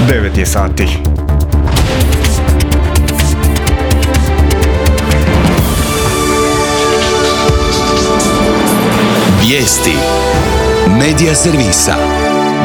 9 je sati. Vijesti Medija servisa.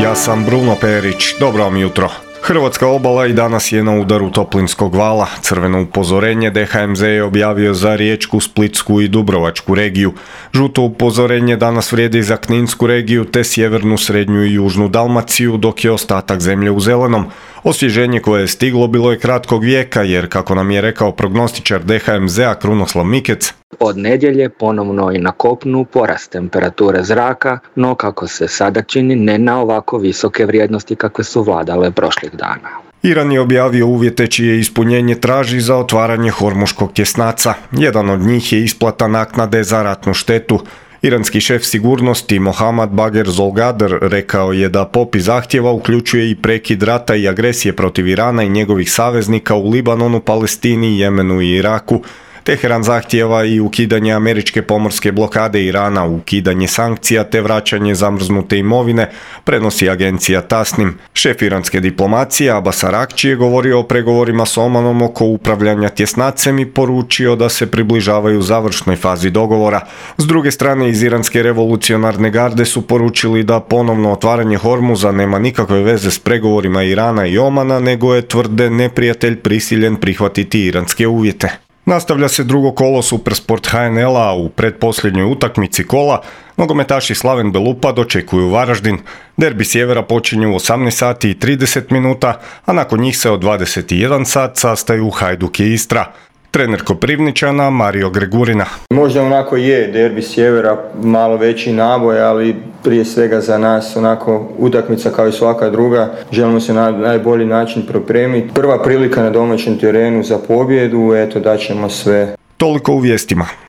Ja sam Bruno Perić, dobro vam jutro. Hrvatska obala i danas je na udaru toplinskog vala. Crveno upozorenje DHMZ je objavio za Riječku, Splitsku i Dubrovačku regiju. Žuto upozorenje danas vrijedi za Kninsku regiju te sjevernu, srednju i južnu Dalmaciju, dok je ostatak zemlje u zelenom. Osvježenje koje je stiglo bilo je kratkog vijeka jer, kako nam je rekao prognostičar DHMZ-a Krunoslav Mikec, od nedjelje ponovno i na kopnu porast temperature zraka, no kako se sada čini ne na ovako visoke vrijednosti kakve su vladale prošlih dana. Iran je objavio uvjete čije ispunjenje traži za otvaranje Hormuškog tjesnaca. Jedan od njih je isplata naknade za ratnu štetu. Iranski šef sigurnosti Mohammad Bagher Zolgadar rekao je da popis zahtjeva uključuje i prekid rata i agresije protiv Irana i njegovih saveznika u Libanonu, Palestini, Jemenu i Iraku. Teheran zahtjeva i ukidanje američke pomorske blokade Irana, ukidanje sankcija te vraćanje zamrznute imovine, prenosi agencija Tasnim. Šef iranske diplomacije Abbas Araghči je govorio o pregovorima s Omanom oko upravljanja tjesnacem i poručio da se približavaju završnoj fazi dogovora. S druge strane, iz iranske revolucionarne garde su poručili da ponovno otvaranje Hormuza nema nikakve veze s pregovorima Irana i Omana, nego je, tvrde, neprijatelj prisiljen prihvatiti iranske uvjete. Nastavlja se drugo kolo Supersport HNL-a, u pretposljednjoj utakmici kola nogometaši Slaven Belupa dočekuju Varaždin. Derbi sjevera počinje u 18 sati i 30 minuta, a nakon njih se od 21 sat sastaju Hajduk i Istra. Trener Koprivničana Mario Gregurina. Možda onako je derbi sjevera malo veći naboj, ali prije svega za nas onako utakmica kao i svaka druga. Želimo se na najbolji način pripremiti. Prva prilika na domaćem terenu za pobjedu, eto daćemo sve. Toliko u vijestima.